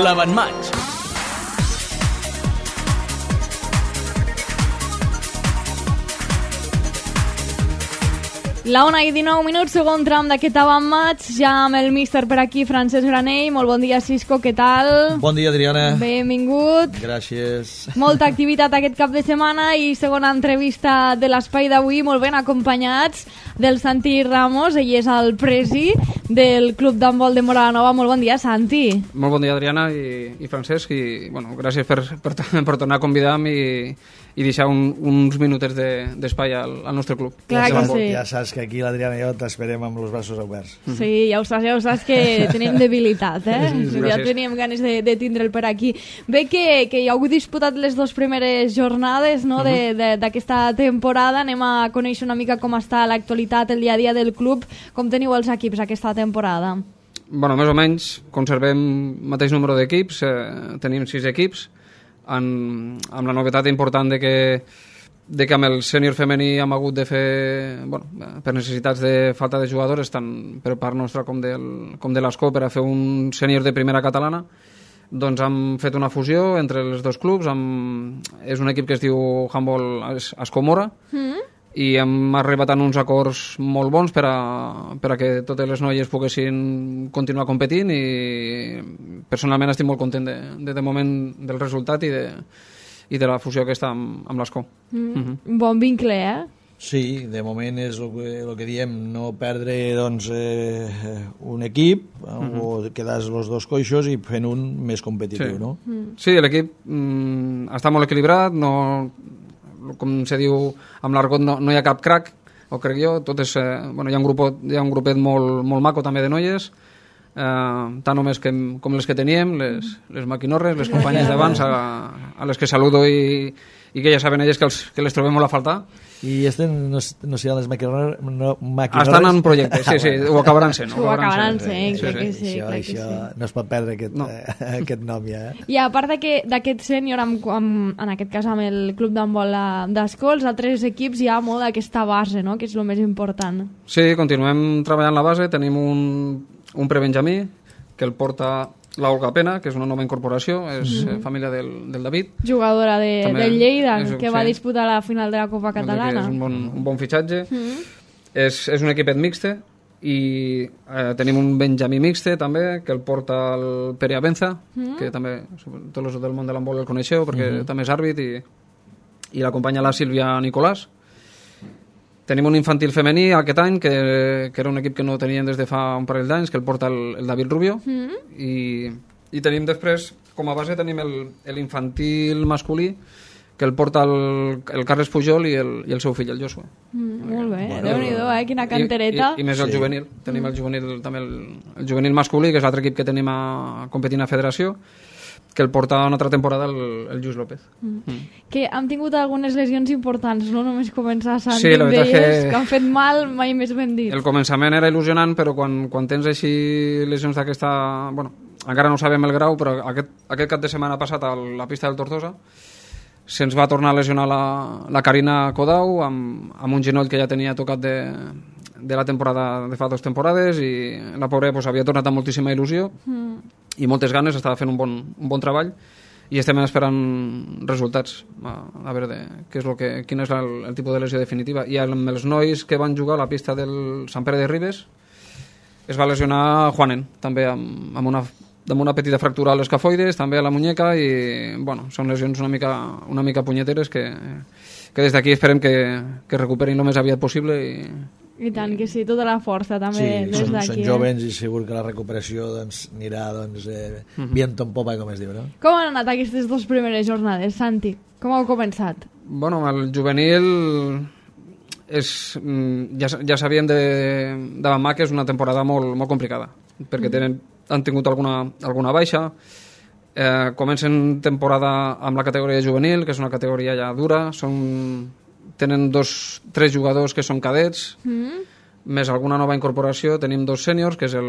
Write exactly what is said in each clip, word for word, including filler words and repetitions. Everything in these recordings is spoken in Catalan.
l'avantmatx. La una i dinou minuts, segon tram d'aquest avantmatx, ja amb el míster per aquí, Francesc Granell. Molt bon dia, Cisco, què tal? Bon dia, Adriana. Benvingut. Gràcies. Molta activitat aquest cap de setmana i segona entrevista de l'espai d'avui, molt ben acompanyats del Santi Ramos. Ell és el presi del Club d'Handbol de Móra la Nova. Molt bon dia, Santi. Molt bon dia, Adriana i, i Francesc, i bueno, gràcies per, per, per tornar a convidar-me i, i deixar un, uns minutets d'espai de, al, al nostre club. Clar ja, que sí. Ja saps que aquí l'Adriana i jo t'esperem amb els braços oberts. Sí, ja ho saps, ja ho saps que tenim debilitat, eh? Sí, sí, ja teníem ganes de, de tindre'l per aquí. Bé que, que ja heu disputat les dues primeres jornades, no?, uh-huh. d'aquesta temporada. Anem a conèixer una mica com està l'actualitat, el dia a dia del club. Com teniu els equips aquesta temporada? Bueno, més o menys conservem el mateix número d'equips, eh, tenim sis equips, en, amb la novetat important de que de que amb el sènior femení hem hagut de fer, bueno, per necessitats de falta de jugadors, tant per part nostra com, del, com de l'Escó, per a fer un sènior de primera catalana, doncs hem fet una fusió entre els dos clubs. Amb, és un equip que es diu Handbol Escó-Mora, mm. i hem arribat a uns acords molt bons per a, per a que totes les noies poguessin continuar competint, i personalment estic molt content de, de, de moment del resultat i de i de la fusió aquesta amb, amb l'Escó. Mm. Mm-hmm. Bon vincle, eh? Sí, de moment és el que, el que diem, no perdre doncs, eh, un equip, mm-hmm. o quedar els dos coixos i fent un més competitiu, sí. no? Mm. Sí, l'equip mm, està molt equilibrat, no, com se diu amb l'argot, no, no hi ha cap crack, o crec jo, tot és, eh, bueno, hi ha un grupet, hi ha un grupet molt, molt maco també de noies, Uh, tant homes que, com les que teníem, les, les maquinorres, les companyes d'abans, a, a les que saludo i, i que ja saben elles que, els, que les trobem molt a faltar. I este no, no seran les maquinorres? No, maquinorres? Estan en projecte, sí, sí, ho acabaran sent. Ho acabaran sent, sí, crec que sí. Això, crec que això sí. no es pot perdre aquest, no. eh, aquest nom ja. Eh? I a part d'aquest sènior, en aquest cas amb el Club d'Handbol d'Escó, els altres equips hi ha molt d'aquesta base, no?, que és el més important. Sí, continuem treballant la base, tenim un un prebenjamí que el porta l'Olga Pena, que és una nova incorporació, és mm-hmm. família del, del David. Jugadora de, També del Lleida, és, que sí. va disputar la final de la Copa Catalana. És un bon, un bon fitxatge. Mm-hmm. És, és un equipet mixte i eh, tenim un Benjamí mixte també, que el porta el Pere Abenza, mm-hmm. que també tots els del món de l'handbol el coneixeu perquè mm-hmm. també és àrbit, i, i l'acompanya la Sílvia Nicolàs. Tenim un infantil femení aquest any, que, que era un equip que no teníem des de fa un parell d'anys, que el porta el, el David Rubio. Mm. I, I tenim després, com a base, tenim l'infantil masculí, que el porta el, el Carles Pujol i el, i el seu fill, el Josué. Mm, molt bé, bueno, Déu-n'hi-do, eh? Quina cantereta. I, i, i més el sí. juvenil. Tenim el juvenil, també el, el juvenil masculí, que és l'altre equip que tenim a competint a federació, que el porta una altra temporada el, el Lluís López. Mm. Mm. Que han tingut algunes lesions importants, no només començar a sí, la veritat d'elles, que... que han fet mal, mai més ben dit. El començament era il·lusionant, però quan, quan tens així lesions d'aquesta... Bueno, encara no sabem el grau, però aquest, aquest cap de setmana passat a la pista del Tortosa se'ns va tornar a lesionar la, la Carina Codau amb, amb un genoll que ja tenia tocat de, de la temporada de fa dues temporades, i la pobra pues, havia tornat amb moltíssima il·lusió mm. i moltes ganes, estava fent un bon, un bon treball, i estem esperant resultats a, a veure de, què és lo que, quin és el, el tipus de lesió definitiva. I amb els nois que van jugar a la pista del Sant Pere de Ribes es va lesionar Juanen també amb, amb, una, amb una petita fractura a l'escafoides, també a la muñeca, i bueno, són lesions una mica, una mica punyeteres que, que des d'aquí esperem que, que recuperin el més aviat possible. i I tant que sí, tota la força també sí, des són, d'aquí. són eh? jovens i segur que la recuperació doncs, anirà doncs, eh, uh-huh. viento en popa, com es diu, no? Com han anat aquestes dues primeres jornades, Santi? Com heu començat? Bueno, el juvenil és, ja, ja sabíem de, de Bamà que és una temporada molt, molt complicada, perquè tenen, han tingut alguna, alguna baixa. Eh, comencen temporada amb la categoria juvenil, que és una categoria ja dura, són... tenen dos, tres jugadors que són cadets, mm. més alguna nova incorporació. Tenim dos sèniors, que és el,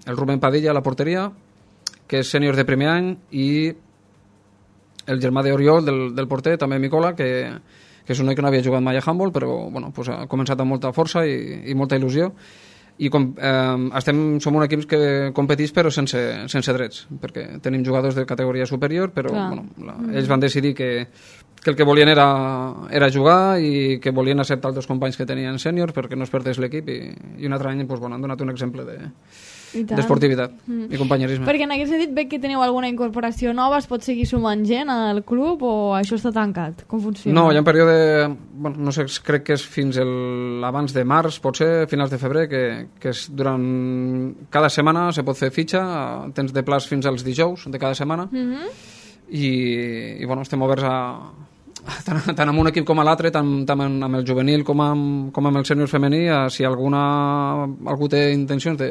el Rubén Padilla a la porteria, que és sènior de primer any, i el germà d'Oriol, del, del porter, també Micola, que, que és un noi que no havia jugat mai a handball, però bueno, pues ha començat amb molta força i, i molta il·lusió. i com, eh, estem, som un equip que competeix però sense, sense drets, perquè tenim jugadors de categoria superior, però bueno, la, ells van decidir que, que el que volien era, era jugar i que volien acceptar els dos companys que tenien sèniors perquè no es perdés l'equip i, i un altre any pues, bueno, han donat un exemple de d'esportivitat mm. i companyerisme. Perquè en aquest sentit veig que teniu alguna incorporació nova, es pot seguir sumant gent al club o això està tancat? Com funciona? No, hi ha un període, bueno, no sé, crec que és fins el, abans de març, potser finals de febrer, que, que és durant cada setmana se pot fer fitxa, tens de plaç fins als dijous de cada setmana mm-hmm. i, i bueno, estem oberts a tant, tant amb un equip com a l'altre, tant, tant amb el juvenil com amb, com amb el sènior femení, si alguna, algú té intencions de,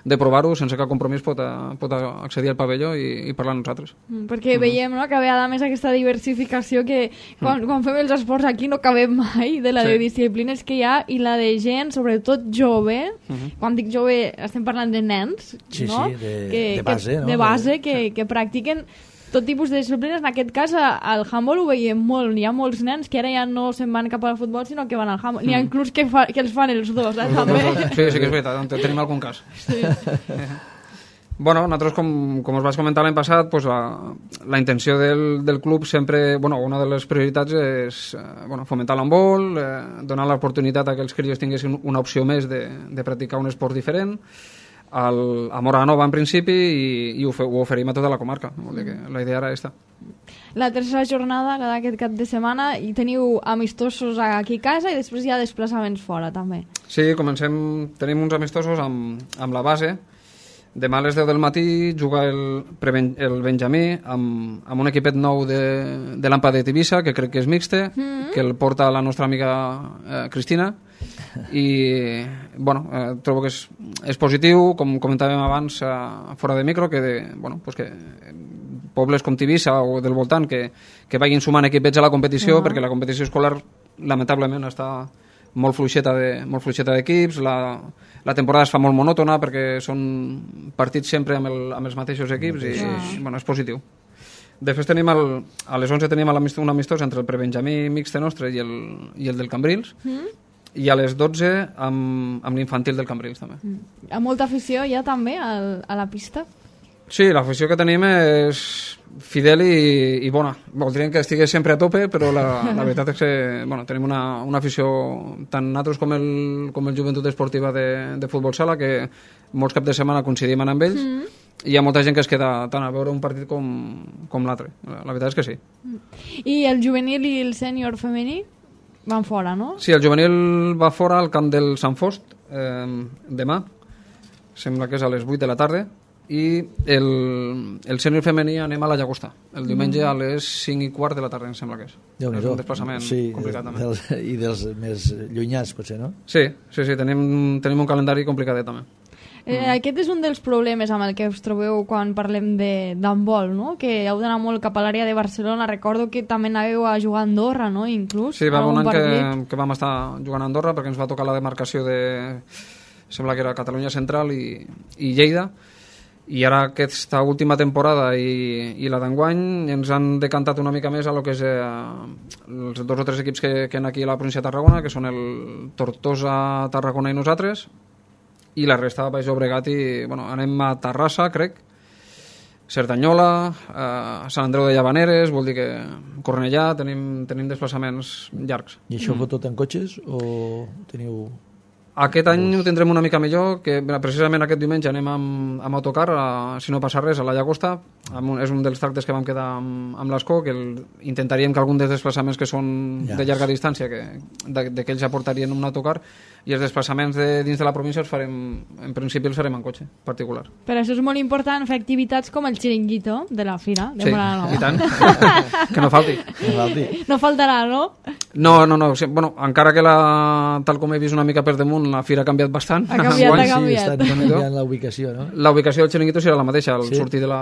de provar-ho, sense cap compromís pot, a, pot accedir al pavelló i, i parlar amb nosaltres. Mm, perquè mm. veiem no, que a més aquesta diversificació que quan, mm. quan fem els esports aquí no cabem mai de la sí. de disciplines que hi ha i la de gent, sobretot jove, mm-hmm. quan dic jove estem parlant de nens, sí, no? sí, de, que, de base, que, no? de base que, que practiquen tot tipus de disciplines. En aquest cas, al handball ho veiem molt. Hi ha molts nens que ara ja no se'n van cap al futbol, sinó que van al handball. Mm. N'hi ha inclús que, fa, que els fan els dos, eh, també. Sí, sí que és veritat, tenim algun cas. Sí. Bueno, nosaltres, com, com us vaig comentar l'any passat, pues la, la intenció del, del club sempre, bueno, una de les prioritats és eh, bueno, fomentar l'handbol, eh, donar l'oportunitat a que els crios tinguessin una opció més de, de practicar un esport diferent, al, a Móra-la-Nova en principi i, i ho, fe, ho oferim a tota la comarca. Vol dir que la idea era aquesta. La tercera jornada, la d'aquest cap de setmana, i teniu amistosos aquí a casa i després hi ha desplaçaments fora també. Sí, comencem, tenim uns amistosos amb, amb la base. Demà a les deu del matí juga el, el Benjamí amb, amb un equipet nou de, de l'Ampa de Tivissa, que crec que és mixte, mm-hmm. que el porta la nostra amiga eh, Cristina, i bueno, eh, trobo que és, és positiu, com comentàvem abans eh, fora de micro, que, de, bueno, pues que pobles com Tivissa o del voltant que, que vagin sumant equipets a la competició, uh-huh. perquè la competició escolar lamentablement està molt fluixeta de, molt fluixeta d'equips, la, la temporada es fa molt monòtona perquè són partits sempre amb, el, amb els mateixos equips i uh-huh. bueno, és positiu. Després tenim el, a les onze tenim un amistós entre el prebenjamí mixte nostre i el, i el del Cambrils, uh-huh. i a les dotze amb, amb l'infantil del Cambrils també. Mm. Hi ha molta afició ja també al, a la pista? Sí, l'afició que tenim és fidel i, i bona. Voldríem que estigués sempre a tope, però la, la veritat és que bueno, tenim una, una afició tant nosaltres com el, com el Joventut Esportiva de, de Futbol Sala, que molts caps de setmana coincidim amb ells, mm. i hi ha molta gent que es queda tant a veure un partit com, com l'altre. La, la veritat és que sí. I el juvenil i el sènior femení? Van fora, no? Sí, el juvenil va fora al camp del Sant Fost eh, demà, sembla que és a les vuit de la tarda, i el, el sènior femení anem a la Llagosta, el diumenge a les cinc i quart de la tarda, em sembla que és. És un desplaçament sí, complicat també. Dels, i dels més llunyats, potser, no? Sí, sí, sí tenim, tenim un calendari complicadet també. Eh, mm. Aquest és un dels problemes amb el que us trobeu quan parlem d'handbol, no? Que heu d'anar molt cap a l'àrea de Barcelona. Recordo que també anàveu a jugar a Andorra, no? Inclús. Sí, va un any que, que vam estar jugant a Andorra perquè ens va tocar la demarcació de... sembla que era Catalunya Central i, i Lleida. I ara aquesta última temporada i, i la d'enguany ens han decantat una mica més a lo que és eh, els dos o tres equips que, que hi ha aquí a la província de Tarragona, que són el Tortosa, Tarragona i nosaltres, i la resta Baix Llobregat i bueno, anem a Terrassa, crec, Cerdanyola, eh, Sant Andreu de Llavaneres, vol dir que Cornellà, tenim, tenim desplaçaments llargs. I això mm. ho tot en cotxes o teniu... Aquest any ho tindrem una mica millor, que precisament aquest diumenge anem amb, amb autocar, a, si no passa res, a la Llagosta. Un, és un dels tractes que vam quedar amb, amb l'Escó, que el, intentaríem que algun dels desplaçaments que són yes. de llarga distància, que, de, de que ells aportarien un autocar, i els desplaçaments de, dins de la província els farem, en principi els farem en cotxe particular. Per això és molt important fer activitats com el xiringuito de la fira de sí, Móra-la-Nova. I tant. Que no falti. No falti. No faltarà, no? No, no, no. Sí, bueno, encara que la, tal com he vist una mica per damunt, la fira ha canviat bastant. Ha canviat, ha canviat. Sí, estan canviant la ubicació, no? La ubicació del xiringuito serà la mateixa, el sí. sortir de la,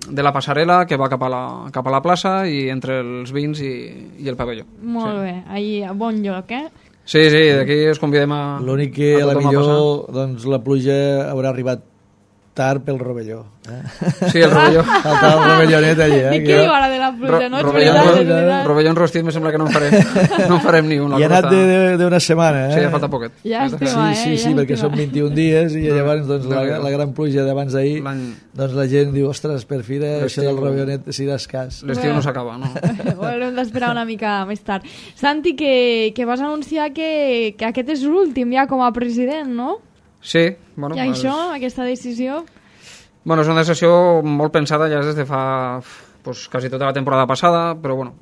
de la passarel·la que va cap a la, cap a la plaça i entre els vins i, i el pavelló. Molt sí. bé, ahí a bon lloc, eh? Sí, sí, d'aquí us convidem a... L'únic que a, a la millor doncs, la pluja haurà arribat optar pel rovelló. Eh? Sí, el rovelló. Faltava el rovellonet allí. Eh? I què diu ara de la pluja, no? És Rovelló, veritat, és veritat. rovelló rostit me sembla que no en farem, no en farem ni un. I ha anat d'una setmana. Eh? Sí, ja falta poquet. Llàstima, Sí, eh? sí, sí, perquè Llàstima. són vint-i-un dies i llavors doncs, la, la gran pluja d'abans d'ahir, doncs la gent diu, ostres, per fi això del rovellonet si d'escàs. L'estiu no s'acaba, no? Ho haurem d'esperar una mica més tard. Santi, que, que vas anunciar que, que aquest és l'últim ja com a president, no? Sí. Bueno, I això, és... aquesta decisió? Bueno, és una decisió molt pensada ja des de fa pues, quasi tota la temporada passada, però bueno,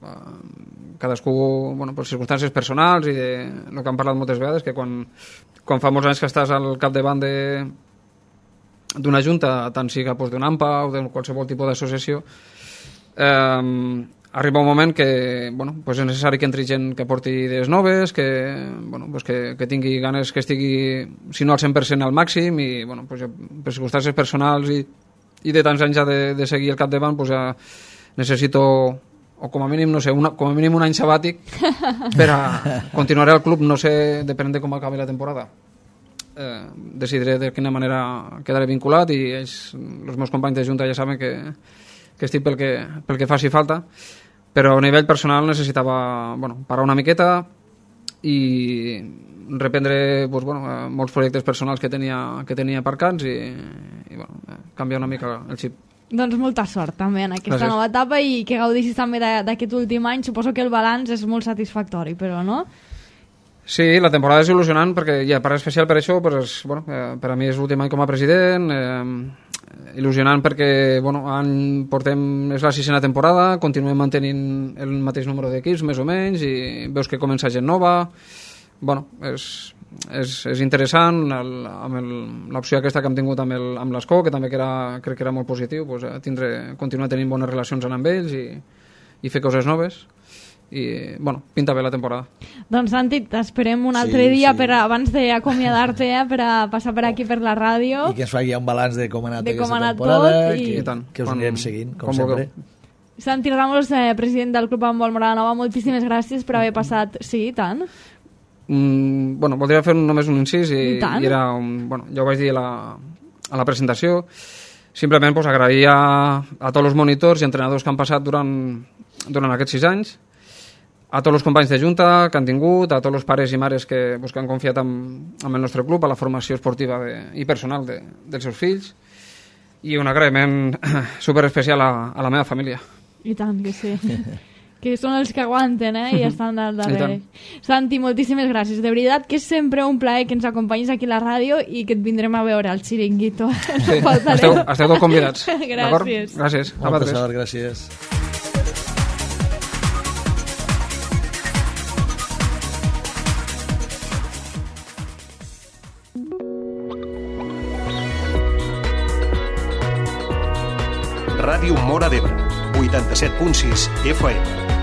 cadascú, bueno, per circumstàncies personals i de el que han parlat moltes vegades, que quan, quan fa molts anys que estàs al capdavant de d'una junta, tant siga pues, d'un AMPA o de qualsevol tipus d'associació, eh, arriba un moment que bueno, pues és necessari que entri gent que porti idees noves, que, bueno, pues que, que tingui ganes, que estigui, si no al cent per cent al màxim, i bueno, pues jo, per circumstàncies personals i, i de tants anys ja de, de seguir al capdavant, pues ja necessito, o com a mínim, no sé, una, com a mínim un any sabàtic per a continuar al club, no sé, depenent de com acabi la temporada. Eh, decidiré de quina manera quedaré vinculat i ells, els meus companys de junta ja saben que, que estic pel que, pel que faci falta, però a nivell personal necessitava bueno, parar una miqueta i reprendre pues, bueno, molts projectes personals que tenia, que tenia aparcats i, i bueno, canviar una mica el xip. Doncs molta sort també en aquesta Gràcies. nova etapa i que gaudissis també d'aquest últim any. Suposo que el balanç és molt satisfactori, però no? Sí, la temporada és il·lusionant perquè, ja, per especial per això, pues, bueno, eh, per a mi és l'últim any com a president, eh, il·lusionant perquè bueno, any portem, és la sisena temporada, continuem mantenint el mateix número d'equips, més o menys, i veus que comença gent nova. Bueno, és, és, és interessant el, amb l'opció aquesta que hem tingut amb el, amb l'Escó, que també que era, crec que era molt positiu, pues, tindre, continuar tenint bones relacions amb ells i, i fer coses noves. I, bueno, pinta bé la temporada. Doncs Santi, t'esperem un altre sí, dia sí. per a, abans d'acomiadar-te eh, per a passar per aquí per la ràdio i que ens faci un balanç de com ha anat de aquesta com ha anat temporada tot, i... que, I tant. que us Quan- anirem seguint, com, com sempre. vulgueu. Santi Ramos, eh, president del Club Handbol Moradanova, moltíssimes gràcies per haver passat... Sí, i tant. Mm, bueno, voldria fer només un incís i, I tant. i era un, bueno, ja ho vaig dir a la, a la presentació, simplement pues, agrair a, a tots els monitors i entrenadors que han passat durant, durant aquests sis anys, a tots els companys de junta que han tingut, a tots els pares i mares que, pues, que han confiat en, en el nostre club, a la formació esportiva de, i personal de, dels seus fills, i un agraïment superespecial a, a la meva família. I tant, que sí. Que són els que aguanten, eh? I estan al I darrere. Santi, moltíssimes gràcies. De veritat que és sempre un plaer que ens acompanyis aquí a la ràdio i que et vindrem a veure al Xiringuito. Sí, No esteu, esteu tots convidats. d'acord? Gràcies. Gràcies. A Molta vosaltres. sort, gràcies. Ràdio Móra d'Ebre, vuitanta-set punt sis F M.